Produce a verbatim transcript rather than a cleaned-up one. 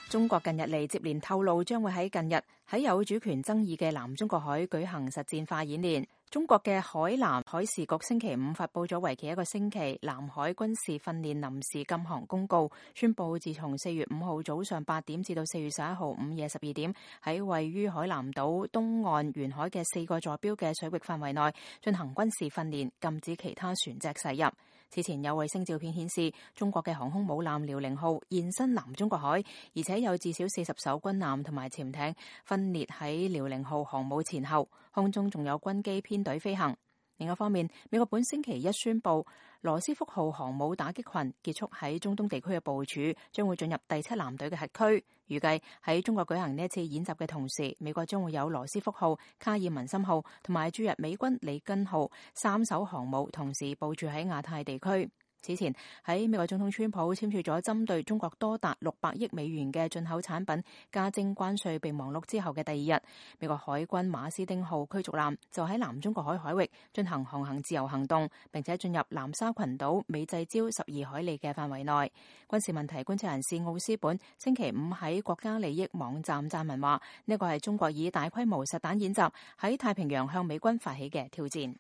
中國近日嚟接連透露，將會喺近日喺有主權爭議嘅南中國海舉行實戰化演練。中國嘅海南海事局星期五發佈咗為期一個星期南海軍事訓練臨時禁航公告，宣布自從四月五號早上八點至到四月十一號午夜十二點，喺位於海南島東岸沿海嘅四個坐標嘅水域範圍內進行軍事訓練，禁止其他船隻駛入。此前有衛星照片顯示，中國嘅航空母艦遼寧號現身南中國海，而且有至少四十艘軍艦同埋潛艇分列喺遼寧號航母前後，空中仲有軍機編隊飛行。另一方面，美國本星期一宣布，羅斯福號航母打擊群結束喺中東地區嘅部署，將會進入第七艦隊嘅核區。預計喺中國舉行呢一次演習嘅同時，美國將會有羅斯福號、卡爾文森號同埋駐日美軍里根號三艘航母同時部署喺亞太地區。此前喺美國總統川普簽署咗針對中國多達六百億美元嘅進口產品加徵關稅備忘錄之後嘅第二日，美國海軍馬斯丁號驅逐艦就喺南中國海海域進行航行自由行動，並且進入南沙群島美濟礁十二海里嘅範圍內。軍事問題觀察人士奧斯本星期五喺國家利益網站撰文話，呢個係中國以大規模實彈演習喺太平洋向美軍發起嘅挑戰。